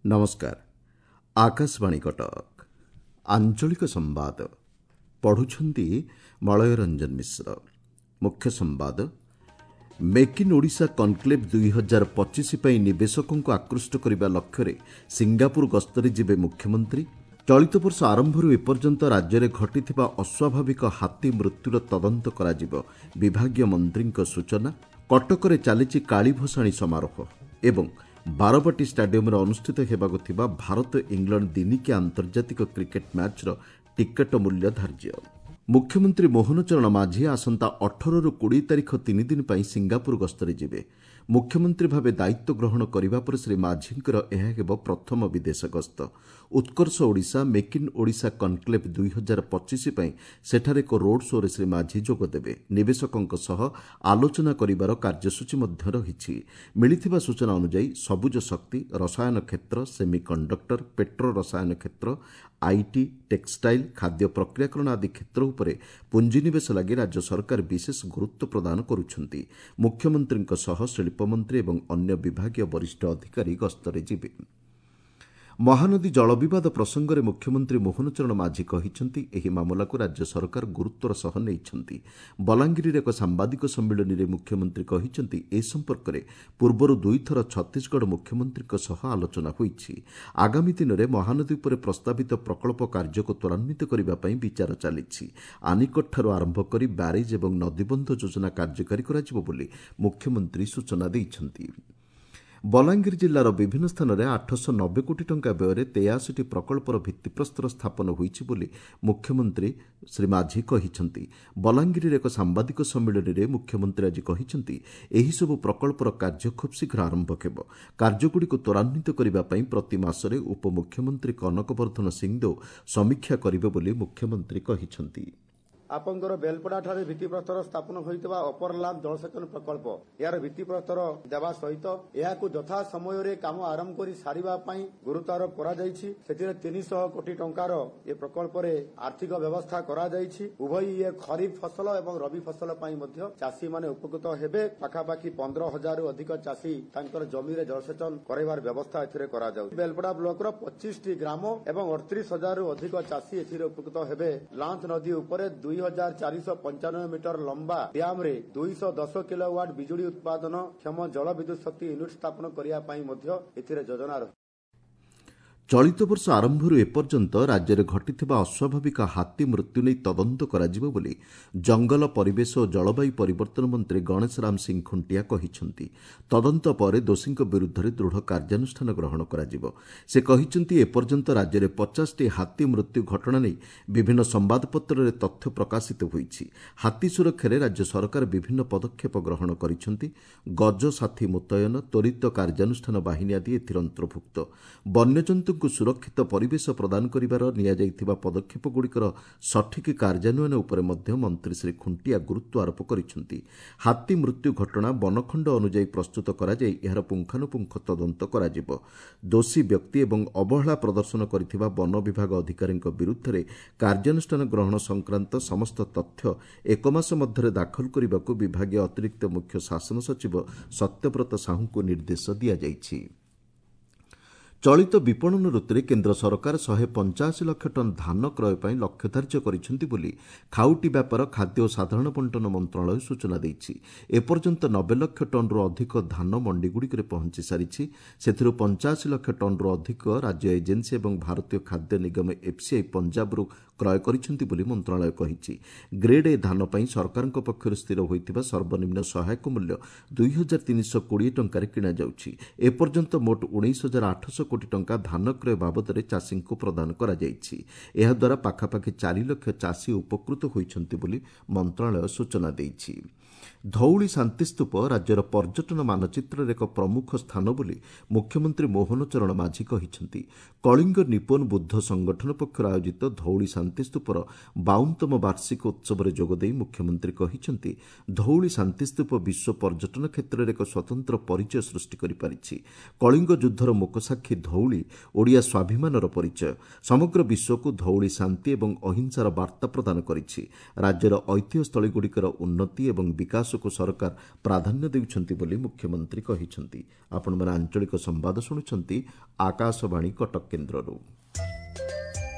ନମସ୍କାର, ଆକାଶବାଣୀ କଟକ। ଆଞ୍ଚଳିକ ସମ୍ବାଦ ପଢ଼ୁଛନ୍ତି ମଳୟ ରଞ୍ଜନ ମିଶ୍ର। ମୁଖ୍ୟ ସମ୍ବାଦ, ମେକ୍ ଇନ୍ ଓଡ଼ିଶା କନକ୍ଲେଭ୍ 2025 ପାଇଁ ନିବେଶକଙ୍କୁ ଆକୃଷ୍ଟ କରିବା ଲକ୍ଷ୍ୟରେ ସିଙ୍ଗାପୁର ଗସ୍ତରେ ଯିବେ ମୁଖ୍ୟମନ୍ତ୍ରୀ। ଚଳିତ ବର୍ଷ ଆରମ୍ଭରୁ ଏପର୍ଯ୍ୟନ୍ତ ରାଜ୍ୟରେ ଘଟିଥିବା ଅସ୍ୱାଭାବିକ ହାତୀ ମୃତ୍ୟୁର ତଦନ୍ତ କରାଯିବ, ବିଭାଗୀୟ ମନ୍ତ୍ରୀଙ୍କ ସୂଚନା। କଟକରେ ଚାଲିଛି କାଳୀ ଭସାଣୀ ସମାରୋହ ଏବଂ ବାରବାଟୀ ଷ୍ଟାଡିୟମରେ ଅନୁଷ୍ଠିତ ହେବାକୁ ଥିବା ଭାରତ ଇଂଲଣ୍ଡ ଦିନିକିଆ ଆନ୍ତର୍ଜାତିକ କ୍ରିକେଟ୍ ମ୍ୟାଚ୍ର ଟିକଟ ମୂଲ୍ୟ ଧାର୍ଯ୍ୟ। ମୁଖ୍ୟମନ୍ତ୍ରୀ ମୋହନ ଚରଣ ମାଝୀ ଆସନ୍ତା 18ରୁ 20 ତାରିଖ 3 ଦିନ ପାଇଁ ସିଙ୍ଗାପୁର ଗସ୍ତରେ ଯିବେ। ମୁଖ୍ୟମନ୍ତ୍ରୀ ଭାବେ ଦାୟିତ୍ୱ ଗ୍ରହଣ କରିବା ପରେ ଶ୍ରୀ ମାଝୀଙ୍କର ଏହା ହେବ ପ୍ରଥମ ବିଦେଶ ଗସ୍ତ। Utkarsh Odisha make in Odisha conclave 2025 ପାଇଁ ସେଠାରେ ଏକ ରୋଡ୍ ଶୋ'ରେ ଶ୍ରୀ ମାଝୀ ଯୋଗଦେବେ। ନିବେଶକଙ୍କ ସହ ଆଲୋଚନା କରିବାର କାର୍ଯ୍ୟସୂଚୀ ମଧ୍ୟ ରହିଛି। ମିଳିଥିବା ସୂଚନା ଅନୁଯାୟୀ ସବୁଜ ଶକ୍ତି, ରସାୟନ କ୍ଷେତ୍ର, ସେମି କଣ୍ଡକ୍ଟର, ପେଟ୍ରୋ ରସାୟନ କ୍ଷେତ୍ର, IT, textile, ଖାଦ୍ୟ ପ୍ରକ୍ରିୟାକରଣ ଆଦି କ୍ଷେତ୍ର ଉପରେ ପୁଞ୍ଜିନିବେଶ ଲାଗି ରାଜ୍ୟ ସରକାର ବିଶେଷ ଗୁରୁତ୍ୱ ପ୍ରଦାନ କରୁଛନ୍ତି। ମୁଖ୍ୟମନ୍ତ୍ରୀଙ୍କ ସହ ଶିଳ୍ପମନ୍ତ୍ରୀ ଏବଂ ଅନ୍ୟ ବିଭାଗୀୟ ବରିଷ୍ଠ ଅଧିକାରୀ ଗସ୍ତରେ ଯିବେ। ମହାନଦୀ ଜଳବିବାଦ ପ୍ରସଙ୍ଗରେ ମୁଖ୍ୟମନ୍ତ୍ରୀ ମୋହନ ଚରଣ ମାଝୀ କହିଛନ୍ତି, ଏହି ମାମଲାକୁ ରାଜ୍ୟ ସରକାର ଗୁରୁତ୍ୱର ସହ ନେଇଛନ୍ତି। ବଲାଙ୍ଗୀରରେ ଏକ ସାମ୍ବାଦିକ ସମ୍ମିଳନୀରେ ମୁଖ୍ୟମନ୍ତ୍ରୀ କହିଛନ୍ତି, ଏ ସମ୍ପର୍କରେ ପୂର୍ବରୁ ଦୁଇଥର ଛତିଶଗଡ଼ ମୁଖ୍ୟମନ୍ତ୍ରୀଙ୍କ ସହ ଆଲୋଚନା ହୋଇଛି। ଆଗାମୀ ଦିନରେ ମହାନଦୀ ଉପରେ ପ୍ରସ୍ତାବିତ ପ୍ରକଳ୍ପ କାର୍ଯ୍ୟକୁ ତ୍ୱରାନ୍ୱିତ କରିବା ପାଇଁ ବିଚାର ଚାଲିଛି। ଆନିକଟଠାରୁ ଆରମ୍ଭ କରି ବ୍ୟାରେଜ୍ ଏବଂ ନଦୀବନ୍ଧ ଯୋଜନା କାର୍ଯ୍ୟକାରୀ କରାଯିବ ବୋଲି ମୁଖ୍ୟମନ୍ତ୍ରୀ ସୂଚନା ଦେଇଛନ୍ତି। ବଲାଙ୍ଗୀର ଜିଲ୍ଲାର ବିଭିନ୍ନ ସ୍ଥାନରେ 890 କୋଟି ଟଙ୍କା ବ୍ୟୟରେ 83ଟି ପ୍ରକଳ୍ପର ଭିତ୍ତିପ୍ରସ୍ତର ସ୍ଥାପନ ହୋଇଛି ବୋଲି ମୁଖ୍ୟମନ୍ତ୍ରୀ ଶ୍ରୀ ମାଝୀ କହିଛନ୍ତି। ବଲାଙ୍ଗୀରରେ ଏକ ସାମ୍ବାଦିକ ସମ୍ମିଳନୀରେ ମୁଖ୍ୟମନ୍ତ୍ରୀ ଆଜି କହିଛନ୍ତି, ଏହିସବୁ ପ୍ରକଳ୍ପର କାର୍ଯ୍ୟ ଖୁବ୍ ଶୀଘ୍ର ଆରମ୍ଭ ହେବ। କାର୍ଯ୍ୟଗୁଡ଼ିକୁ ତ୍ୱରାନ୍ୱିତ କରିବା ପାଇଁ ପ୍ରତି ମାସରେ ଉପମୁଖ୍ୟମନ୍ତ୍ରୀ କନକ ବର୍ଦ୍ଧନ ସିଂଦେଓ ସମୀକ୍ଷା କରିବେ ବୋଲି ମୁଖ୍ୟମନ୍ତ୍ରୀ କହିଛନ୍ତି। ଆପଣଙ୍କର ବେଲପଡ଼ାଠାରେ ଭିତ୍ତିପ୍ରସ୍ତର ସ୍ଥାପନ ହୋଇଥିବା ଅପରଲାମ ଜଳସେଚନ ପ୍ରକଳ୍ପ, ଏହାର ଭିତ୍ତିପ୍ରସ୍ତର ଦେବା ସହିତ ଏହାକୁ ଯଥା ସମୟରେ କାମ ଆରମ୍ଭ କରି ସାରିବା ପାଇଁ ଗୁରୁତ୍ୱ ଆରୋପ କରାଯାଇଛି। ସେଥିରେ 300 କୋଟି ଟଙ୍କାର ଏ ପ୍ରକଳ୍ପରେ ଆର୍ଥିକ ବ୍ୟବସ୍ଥା କରାଯାଇଛି। ଉଭୟ ଇଏ ଖରିଫ ଫସଲ ଏବଂ ରବି ଫସଲ ପାଇଁ ମଧ୍ୟ ଚାଷୀମାନେ ଉପକୃତ ହେବେ। ପାଖାପାଖି 15,000ରୁ ଅଧିକ ଚାଷୀ ତାଙ୍କର ଜମିରେ ଜଳସେଚନ କରାଇବାର ବ୍ୟବସ୍ଥା ଏଥିରେ କରାଯାଉଛି। ବେଲପଡ଼ା ବ୍ଲକର 25ଟି ଗ୍ରାମ ଏବଂ 38,000ରୁ ଅଧିକ ଚାଷୀ ଏଥିରେ ଉପକୃତ ହେବେ। ଲାଞ୍ଚ ନଦୀ ଉପରେ 2495 ମିଟର ଲମ୍ବା ଡ୍ୟାମରେ 210 କିଲୋୱାଟ ବିଜୁଳି ଉତ୍ପାଦନ କ୍ଷମ ଜଳ ବିଦ୍ୟୁତ ଶକ୍ତି ୟୁନିଟ୍ ସ୍ଥାପନ କରିବା ପାଇଁ ମଧ୍ୟ ଏଥିରେ ଯୋଜନା ରହିଛି। ଚଳିତ ବର୍ଷ ଆରମ୍ଭରୁ ଏପର୍ଯ୍ୟନ୍ତ ରାଜ୍ୟରେ ଘଟିଥିବା ଅସ୍ୱାଭାବିକ ହାତୀ ମୃତ୍ୟୁ ନେଇ ତଦନ୍ତ କରାଯିବ ବୋଲି ଜଙ୍ଗଲ, ପରିବେଶ ଓ ଜଳବାୟୁ ପରିବର୍ତ୍ତନ ମନ୍ତ୍ରୀ ଗଣେଶ ରାମ ସିଂ ଖୁଣ୍ଟିଆ କହିଛନ୍ତି। ତଦନ୍ତ ପରେ ଦୋଷୀଙ୍କ ବିରୁଦ୍ଧରେ ଦୃଢ଼ କାର୍ଯ୍ୟାନୁଷ୍ଠାନ ଗ୍ରହଣ କରାଯିବ। ସେ କହିଛନ୍ତି, ଏପର୍ଯ୍ୟନ୍ତ ରାଜ୍ୟରେ 50ଟି ହାତୀ ମୃତ୍ୟୁ ଘଟଣା ନେଇ ବିଭିନ୍ନ ସମ୍ବାଦପତ୍ରରେ ତଥ୍ୟ ପ୍ରକାଶିତ ହୋଇଛି। ହାତୀ ସୁରକ୍ଷାରେ ରାଜ୍ୟ ସରକାର ବିଭିନ୍ନ ପଦକ୍ଷେପ ଗ୍ରହଣ କରିଛନ୍ତି। ଗଜ ସାଥୀ ମୁତୟନ, ତ୍ୱରିତ କାର୍ଯ୍ୟାନୁଷ୍ଠାନ ବାହିନୀ ଆଦି ଏଥିରେ ଅନ୍ତର୍ଭୁକ୍ତ। ବନ୍ୟଜନ୍ତୁଙ୍କୁ ସୁରକ୍ଷିତ ପରିବେଶ ପ୍ରଦାନ କରିବାର ନିଆଯାଇଥିବା ପଦକ୍ଷେପଗୁଡ଼ିକର ସଠିକ୍ କାର୍ଯ୍ୟାନ୍ୱୟନ ଉପରେ ମଧ୍ୟ ମନ୍ତ୍ରୀ ଶ୍ରୀ ଖୁଣ୍ଟିଆ ଗୁରୁତ୍ୱ ଆରୋପ କରିଛନ୍ତି। ହାତୀ ମୃତ୍ୟୁ ଘଟଣା ବନଖଣ୍ଡ ଅନୁଯାୟୀ ପ୍ରସ୍ତୁତ କରାଯାଇ ଏହାର ପୁଙ୍ଖାନୁପୁଙ୍ଖ ତଦନ୍ତ କରାଯିବ। ଦୋଷୀ ବ୍ୟକ୍ତି ଏବଂ ଅବହେଳା ପ୍ରଦର୍ଶନ କରିଥିବା ବନ ବିଭାଗ ଅଧିକାରୀଙ୍କ ବିରୁଦ୍ଧରେ କାର୍ଯ୍ୟାନୁଷ୍ଠାନ ଗ୍ରହଣ ସଂକ୍ରାନ୍ତ ସମସ୍ତ ତଥ୍ୟ ଏକ ମାସ ମଧ୍ୟରେ ଦାଖଲ କରିବାକୁ ବିଭାଗୀୟ ଅତିରିକ୍ତ ମୁଖ୍ୟ ଶାସନ ସଚିବ ସତ୍ୟବ୍ରତ ସାହୁଙ୍କୁ ନିର୍ଦ୍ଦେଶ ଦିଆଯାଇଛି। ଚଳିତ ବିପଣନ ଋତୁରେ କେନ୍ଦ୍ର ସରକାର 185 ଲକ୍ଷ ଟନ୍ ଧାନ କ୍ରୟ ପାଇଁ ଲକ୍ଷ୍ୟ ଧାର୍ଯ୍ୟ କରିଛନ୍ତି ବୋଲି ଖାଉଟି ବ୍ୟାପାର, ଖାଦ୍ୟ ଓ ସାଧାରଣ ବଣ୍ଟନ ମନ୍ତ୍ରଣାଳୟ ସୂଚନା ଦେଇଛି। ଏପର୍ଯ୍ୟନ୍ତ 90 ଲକ୍ଷ ଟନ୍ରୁ ଅଧିକ ଧାନ ମଣ୍ଡିଗୁଡ଼ିକରେ ପହଞ୍ଚି ସାରିଛି। ସେଥିରୁ 85 ଲକ୍ଷ ଟନ୍ରୁ ଅଧିକ ରାଜ୍ୟ ଏଜେନ୍ସି ଏବଂ ଭାରତୀୟ ଖାଦ୍ୟ ନିଗମ ଏଫ୍ସିଆଇ ପଞ୍ଜାବରୁ କ୍ରୟ କରିଛନ୍ତି ବୋଲି ମନ୍ତ୍ରଣାଳୟ କହିଛି। ଗ୍ରେଡ୍ ଏ ଧାନ ପାଇଁ ସରକାରଙ୍କ ପକ୍ଷରୁ ସ୍ଥିର ହୋଇଥିବା ସର୍ବନିମ୍ନ ସହାୟକ ମୂଲ୍ୟ 2320 ଟଙ୍କାରେ କିଣାଯାଉଛି। ଏପର୍ଯ୍ୟନ୍ତ ମୋଟ 19,800 କୋଟି ଟଙ୍କା ଧାନ କ୍ରୟ ବାବଦରେ ଚାଷୀଙ୍କୁ ପ୍ରଦାନ କରାଯାଇଛି। ଏହାଦ୍ୱାରା ପାଖାପାଖି 4 ଲକ୍ଷ ଚାଷୀ ଉପକୃତ ହୋଇଛନ୍ତି ବୋଲି ମନ୍ତ୍ରଣାଳୟ ସୂଚନା ଦେଇଛି। ଧଉଳି ଶାନ୍ତିସ୍ତୂପ ରାଜ୍ୟର ପର୍ଯ୍ୟଟନ ମାନଚିତ୍ରରେ ଏକ ପ୍ରମୁଖ ସ୍ଥାନ ବୋଲି ମୁଖ୍ୟମନ୍ତ୍ରୀ ମୋହନ ଚରଣ ମାଝୀ କହିଛନ୍ତି। କଳିଙ୍ଗ ନିପୋନ ବୁଦ୍ଧ ସଂଗଠନ ପକ୍ଷରୁ ଆୟୋଜିତ ଧଉଳି ଶାନ୍ତିସ୍ତୂପର 52ତମ ବାର୍ଷିକ ଉତ୍ସବରେ ଯୋଗଦେଇ ମୁଖ୍ୟମନ୍ତ୍ରୀ କହିଛନ୍ତି, ଧଉଳି ଶାନ୍ତିସ୍ତୂପ ବିଶ୍ୱ ପର୍ଯ୍ୟଟନ କ୍ଷେତ୍ରରେ ଏକ ସ୍ୱତନ୍ତ୍ର ପରିଚୟ ସୃଷ୍ଟି କରିପାରିଛି। କଳିଙ୍ଗ ଯୁଦ୍ଧର ମୂକସାକ୍ଷୀ ଧଉଳି ଓଡ଼ିଆ ସ୍ୱାଭିମାନର ପରିଚୟ। ସମଗ୍ର ବିଶ୍ୱକୁ ଧଉଳି ଶାନ୍ତି ଏବଂ ଅହିଂସାର ବାର୍ତ୍ତା ପ୍ରଦାନ କରିଛି। ରାଜ୍ୟର ଐତିହ୍ୟସ୍ଥଳୀଗୁଡ଼ିକର ଉନ୍ନତି ଏବଂ ବିକାଶ ବିକାଶକୁ ସରକାର ପ୍ରାଧାନ୍ୟ ଦେଉଛନ୍ତି ବୋଲି ମୁଖ୍ୟମନ୍ତ୍ରୀ କହିଛନ୍ତି। ଆପଣମାନେ ଆଞ୍ଚଳିକ ସମ୍ବାଦ ଶୁଣୁଛନ୍ତି ଆକାଶବାଣୀ କଟକ କେନ୍ଦ୍ରରୁ।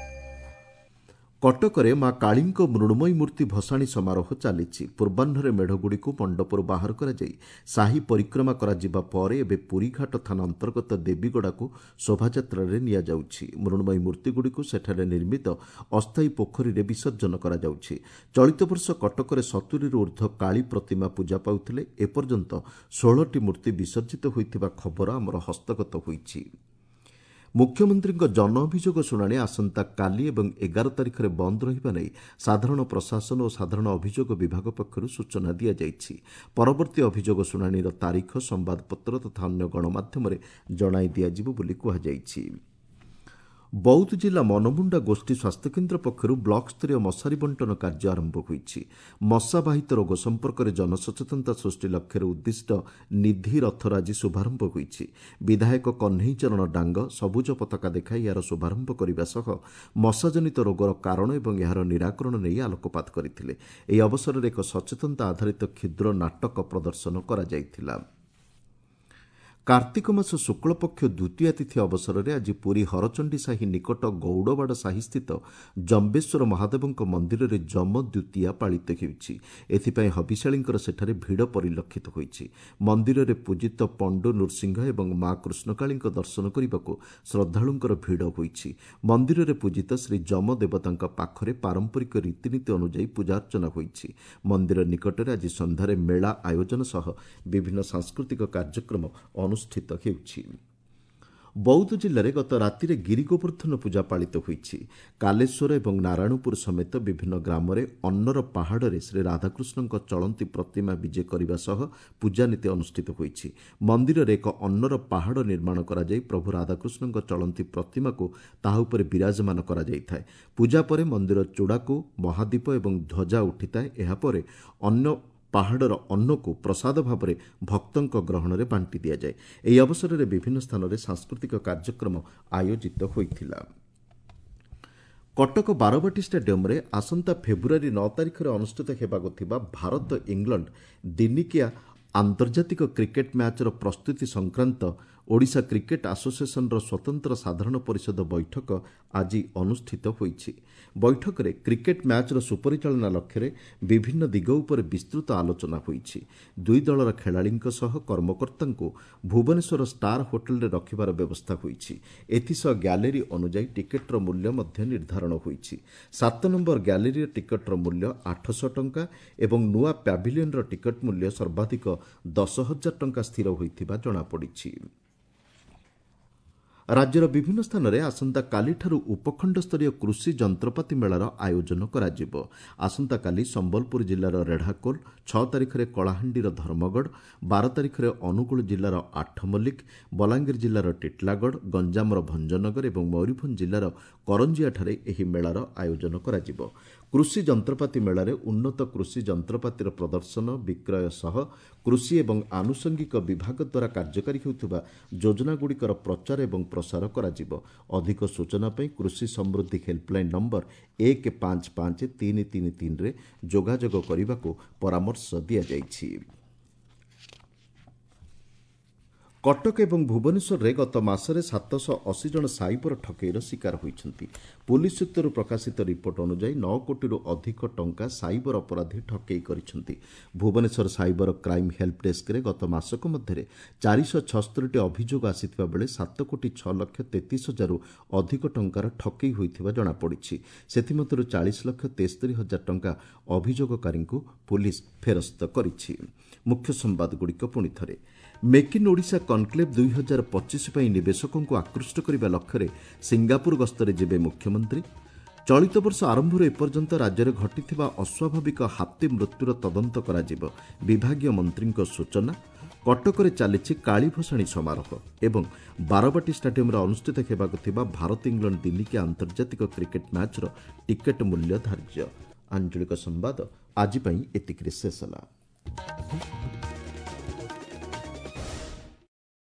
କଟକରେ ମା କାଳୀଙ୍କ ମୃଣ୍ମୟୀ ମୂର୍ତ୍ତି ଭସାଣି ସମାରୋହ ଚାଲିଛି। ପୂର୍ବାହ୍ନରେ ମେଢ଼ଗୁଡ଼ିକୁ ମଣ୍ଡପରୁ ବାହାର କରାଯାଇ ସାହି ପରିକ୍ରମା କରାଯିବା ପରେ ଏବେ ପୁରୀଘାଟ ଥାନା ଅନ୍ତର୍ଗତ ଦେବୀଗଡ଼ାକୁ ଶୋଭାଯାତ୍ରାରେ ନିଆଯାଉଛି। ମୃଣ୍ମୟୀ ମୂର୍ତ୍ତିଗୁଡ଼ିକୁ ସେଠାରେ ନିର୍ମିତ ଅସ୍ଥାୟୀ ପୋଖରୀରେ ବିସର୍ଜନ କରାଯାଉଛି। ଚଳିତ ବର୍ଷ କଟକରେ 70ରୁ ଉର୍ଦ୍ଧ୍ୱ କାଳୀ ପ୍ରତିମା ପୂଜା ପାଉଥିଲେ। ଏପର୍ଯ୍ୟନ୍ତ 16ଟି ମୂର୍ତ୍ତି ବିସର୍ଜିତ ହୋଇଥିବା ଖବର ଆମର ହସ୍ତଗତ ହୋଇଛି। ମୁଖ୍ୟମନ୍ତ୍ରୀଙ୍କ ଜନ ଅଭିଯୋଗ ଶୁଣାଣି ଆସନ୍ତାକାଲି ଏବଂ 11 ତାରିଖରେ ବନ୍ଦ ରହିବା ନେଇ ସାଧାରଣ ପ୍ରଶାସନ ଓ ସାଧାରଣ ଅଭିଯୋଗ ବିଭାଗ ପକ୍ଷରୁ ସୂଚନା ଦିଆଯାଇଛି। ପରବର୍ତ୍ତୀ ଅଭିଯୋଗ ଶୁଣାଣିର ତାରିଖ ସମ୍ବାଦପତ୍ର ତଥା ଅନ୍ୟ ଗଣମାଧ୍ୟମରେ ଜଣାଇ ଦିଆଯିବ ବୋଲି କୁହାଯାଇଛି। ବୌଦ୍ଧ ଜିଲ୍ଲା ମନମୁଣ୍ଡା ଗୋଷ୍ଠୀ ସ୍ୱାସ୍ଥ୍ୟକେନ୍ଦ୍ର ପକ୍ଷରୁ ବ୍ଲକସ୍ତରୀୟ ମଶାରୀ ବଣ୍ଟନ କାର୍ଯ୍ୟ ଆରମ୍ଭ ହୋଇଛି। ମଶାବାହିତ ରୋଗ ସମ୍ପର୍କରେ ଜନସଚେତନତା ସୃଷ୍ଟି ଲକ୍ଷ୍ୟରେ ଉଦ୍ଦିଷ୍ଟ ନିଧି ରଥର ଆଜି ଶୁଭାରମ୍ଭ ହୋଇଛି। ବିଧାୟକ କହ୍ନେଇ ଚରଣ ଡାଙ୍ଗ ସବୁଜ ପତାକା ଦେଖାଇ ଏହାର ଶୁଭାରମ୍ଭ କରିବା ସହ ମଶାଜନିତ ରୋଗର କାରଣ ଏବଂ ଏହାର ନିରାକରଣ ନେଇ ଆଲୋକପାତ କରିଥିଲେ। ଏହି ଅବସରରେ ଏକ ସଚେତନତା ଆଧାରିତ କ୍ଷୁଦ୍ର ନାଟକ ପ୍ରଦର୍ଶନ କରାଯାଇଥିଲା। କାର୍ତ୍ତିକ ମାସ ଶୁକ୍ଳପକ୍ଷ ଦ୍ୱିତୀୟା ତିଥି ଅବସରରେ ଆଜି ପୁରୀ ହରଚଣ୍ଡୀ ସାହି ନିକଟ ଗୌଡ଼ବାଡ଼ ସାହିସ୍ଥିତ ଜମ୍ବେଶ୍ୱର ମହାଦେବଙ୍କ ମନ୍ଦିରରେ ଯମ ଦ୍ୱିତୀୟା ପାଳିତ ହେଉଛି। ଏଥିପାଇଁ ହବିଷ୍ୟାଳୀଙ୍କର ସେଠାରେ ଭିଡ଼ ପରିଲକ୍ଷିତ ହୋଇଛି। ମନ୍ଦିରରେ ପୂଜିତ ପଣ୍ଡୁ ନୃସିଂହ ଏବଂ ମା କୃଷ୍ଣକାଳୀଙ୍କ ଦର୍ଶନ କରିବାକୁ ଶ୍ରଦ୍ଧାଳୁଙ୍କର ଭିଡ଼ ହୋଇଛି। ମନ୍ଦିରରେ ପୂଜିତ ଶ୍ରୀ ଯମ ଦେବତାଙ୍କ ପାଖରେ ପାରମ୍ପରିକ ରୀତିନୀତି ଅନୁଯାୟୀ ପୂଜାର୍ଚ୍ଚନା ହୋଇଛି। ମନ୍ଦିର ନିକଟରେ ଆଜି ସନ୍ଧ୍ୟାରେ ମେଳା ଆୟୋଜନ ସହ ବିଭିନ୍ନ ସାଂସ୍କୃତିକ କାର୍ଯ୍ୟକ୍ରମ ଅନୁଷ୍ଠିତ ହେଉଛି। ବୌଦ୍ଧ ଜିଲ୍ଲାରେ ଗତ ରାତିରେ ଗିରିଗୋବର୍ଦ୍ଧନ ପୂଜା ପାଳିତ ହୋଇଛି। କାଲେଶ୍ୱର ଏବଂ ନାରାୟଣପୁର ସମେତ ବିଭିନ୍ନ ଗ୍ରାମରେ ଅନ୍ନର ପାହାଡ଼ରେ ଶ୍ରୀ ରାଧାକୃଷ୍ଣଙ୍କ ଚଳନ୍ତି ପ୍ରତିମା ବିଜେ କରିବା ସହ ପୂଜାନୀତି ଅନୁଷ୍ଠିତ ହୋଇଛି। ମନ୍ଦିରରେ ଏକ ଅନ୍ନର ପାହାଡ଼ ନିର୍ମାଣ କରାଯାଇ ପ୍ରଭୁ ରାଧାକୃଷ୍ଣଙ୍କ ଚଳନ୍ତି ପ୍ରତିମାକୁ ତାହା ଉପରେ ବିରାଜମାନ କରାଯାଇଥାଏ। ପୂଜା ପରେ ମନ୍ଦିର ଚୂଡ଼ାକୁ ମହାଦୀପ ଏବଂ ଧ୍ୱଜା ଉଠିଥାଏ। ଏହାପରେ ଅନ୍ୟ ପାହାଡ଼ର ଅନ୍ନକୁ ପ୍ରସାଦ ଭାବରେ ଭକ୍ତଙ୍କ ଗ୍ରହଣରେ ବାଣ୍ଟି ଦିଆଯାଏ। ଏହି ଅବସରରେ ବିଭିନ୍ନ ସ୍ଥାନରେ ସାଂସ୍କୃତିକ କାର୍ଯ୍ୟକ୍ରମ ଆୟୋଜିତ ହୋଇଥିଲା। କଟକ ବାରବାଟୀ ଷ୍ଟାଡିୟମରେ ଆସନ୍ତା ଫେବୃଆରୀ 9 ତାରିଖରେ ଅନୁଷ୍ଠିତ ହେବାକୁ ଥିବା ଭାରତ ଇଂଲଣ୍ଡ ଦିନିକିଆ ଆନ୍ତର୍ଜାତିକ କ୍ରିକେଟ୍ ମ୍ୟାଚ୍ର ପ୍ରସ୍ତୁତି ସଂକ୍ରାନ୍ତ ଓଡ଼ିଶା କ୍ରିକେଟ୍ ଆସୋସିଏସନ୍ର ସ୍ୱତନ୍ତ୍ର ସାଧାରଣ ପରିଷଦ ବୈଠକ ଆଜି ଅନୁଷ୍ଠିତ ହୋଇଛି। ବୈଠକରେ କ୍ରିକେଟ୍ ମ୍ୟାଚ୍ର ସୁପରିଚାଳନା ଲକ୍ଷ୍ୟରେ ବିଭିନ୍ନ ଦିଗ ଉପରେ ବିସ୍ତୃତ ଆଲୋଚନା ହୋଇଛି। ଦୁଇ ଦଳର ଖେଳାଳିଙ୍କ ସହ କର୍ମକର୍ତ୍ତାଙ୍କୁ ଭୁବନେଶ୍ୱର ଷ୍ଟାର ହୋଟେଲରେ ରଖିବାର ବ୍ୟବସ୍ଥା ହୋଇଛି। ଏଥିସହ ଗ୍ୟାଲେରୀ ଅନୁଯାୟୀ ଟିକେଟ୍ର ମୂଲ୍ୟ ମଧ୍ୟ ନିର୍ଦ୍ଧାରଣ ହୋଇଛି। 7 ନମ୍ବର ଗ୍ୟାଲେରୀର ଟିକେଟ୍ର ମୂଲ୍ୟ 800 ଟଙ୍କା ଏବଂ ନୂଆ ପ୍ୟାଭିଲିୟନର ଟିକେଟ୍ ମୂଲ୍ୟ ସର୍ବାଧିକ 10,000 ଟଙ୍କା ସ୍ଥିର ହୋଇଥିବା ଜଣାପଡ଼ିଛି। ରାଜ୍ୟର ବିଭିନ୍ନ ସ୍ଥାନରେ ଆସନ୍ତାକାଲିଠାରୁ ଉପଖଣ୍ଡସ୍ତରୀୟ କୃଷି ଯନ୍ତ୍ରପାତି ମେଳାର ଆୟୋଜନ କରାଯିବ। ଆସନ୍ତାକାଲି ସମ୍ବଲପୁର ଜିଲ୍ଲାର ରେଢ଼ାକୋଲ, 6 ତାରିଖରେ କଳାହାଣ୍ଡିର ଧର୍ମଗଡ଼, 12 ତାରିଖରେ ଅନୁଗୁଳ ଜିଲ୍ଲାର ଆଠମଲ୍ଲିକ, ବଲାଙ୍ଗୀର ଜିଲ୍ଲାର ଟିଟଲାଗଡ଼, ଗଞ୍ଜାମର ଭଞ୍ଜନଗର ଏବଂ ମୟୂରଭଞ୍ଜ ଜିଲ୍ଲାର କରଞ୍ଜିଆଠାରେ ଏହି ମେଳାର ଆୟୋଜନ କରାଯିବ। କୃଷି ଯନ୍ତ୍ରପାତି ମେଳାରେ ଉନ୍ନତ କୃଷି ଯନ୍ତ୍ରପାତିର ପ୍ରଦର୍ଶନ, ବିକ୍ରୟ ସହ କୃଷି ଏବଂ ଆନୁଷଙ୍ଗିକ ବିଭାଗ ଦ୍ୱାରା କାର୍ଯ୍ୟକାରୀ ହେଉଥିବା ଯୋଜନାଗୁଡ଼ିକର ପ୍ରଚାର ଏବଂ ପ୍ରସାର କରାଯିବ। ଅଧିକ ସୂଚନା ପାଇଁ କୃଷି ସମୃଦ୍ଧି ହେଲ୍ପଲାଇନ୍ ନମ୍ବର 1 5 5 3 3 3ରେ ଯୋଗାଯୋଗ କରିବାକୁ ପରାମର୍ଶ ଦିଆଯାଇଛି। କଟକ ଏବଂ ଭୁବନେଶ୍ୱରରେ ଗତ ମାସରେ 780 ଜଣ ସାଇବର ଠକେଇର ଶିକାର ହୋଇଛନ୍ତି। ପୁଲିସ୍ ସୂତ୍ରରୁ ପ୍ରକାଶିତ ରିପୋର୍ଟ ଅନୁଯାୟୀ 9 କୋଟିରୁ ଅଧିକ ଟଙ୍କା ସାଇବର ଅପରାଧୀ ଠକେଇ କରିଛନ୍ତି। ଭୁବନେଶ୍ୱର ସାଇବର କ୍ରାଇମ୍ ହେଲ୍ପ ଡେସ୍କରେ ଗତ ମାସକ ମଧ୍ୟରେ 476ଟି ଅଭିଯୋଗ ଆସିଥିବା ବେଳେ 7 କୋଟି 6 ଲକ୍ଷ 33 ହଜାରରୁ ଅଧିକ ଟଙ୍କାର ଠକେଇ ହୋଇଥିବା ଜଣାପଡ଼ିଛି। ସେଥିମଧ୍ୟରୁ 40 ଲକ୍ଷ 73 ହଜାର ଟଙ୍କା ଅଭିଯୋଗକାରୀଙ୍କୁ ପୁଲିସ୍ ଫେରସ୍ତ କରିଛି। ମୁଖ୍ୟ ସମ୍ବାଦଗୁଡ଼ିକ ପୁଣି ଥରେ। ମେକ୍ ଇନ୍ ଓଡ଼ିଶା କନକ୍ଲେଭ୍ 2025 ପାଇଁ ନିବେଶକଙ୍କୁ ଆକୃଷ୍ଟ କରିବା ଲକ୍ଷ୍ୟରେ ସିଙ୍ଗାପୁର ଗସ୍ତରେ ଯିବେ ମୁଖ୍ୟମନ୍ତ୍ରୀ। ଚଳିତ ବର୍ଷ ଆରମ୍ଭରୁ ଏପର୍ଯ୍ୟନ୍ତ ରାଜ୍ୟରେ ଘଟିଥିବା ଅସ୍ୱାଭାବିକ ହାତୀ ମୃତ୍ୟୁର ତଦନ୍ତ କରାଯିବ, ବିଭାଗୀୟ ମନ୍ତ୍ରୀଙ୍କ ସୂଚନା। କଟକରେ ଚାଲିଛି କାଳୀ ଭସାଣି ସମାରୋହ ଏବଂ ବାରବାଟୀ ଷ୍ଟାଡିୟମରେ ଅନୁଷ୍ଠିତ ହେବାକୁ ଥିବା ଭାରତ ଇଂଲଣ୍ଡ ଦିନିକିଆ ଆନ୍ତର୍ଜାତିକ କ୍ରିକେଟ୍ ମ୍ୟାଚ୍ର ଟିକେଟ୍ ମୂଲ୍ୟ ଧାର୍ଯ୍ୟ। ଆଞ୍ଚଳିକ ସମ୍ବାଦ ଆଜି ପାଇଁ ଏତିକିରେ ଶେଷ ହେଲା।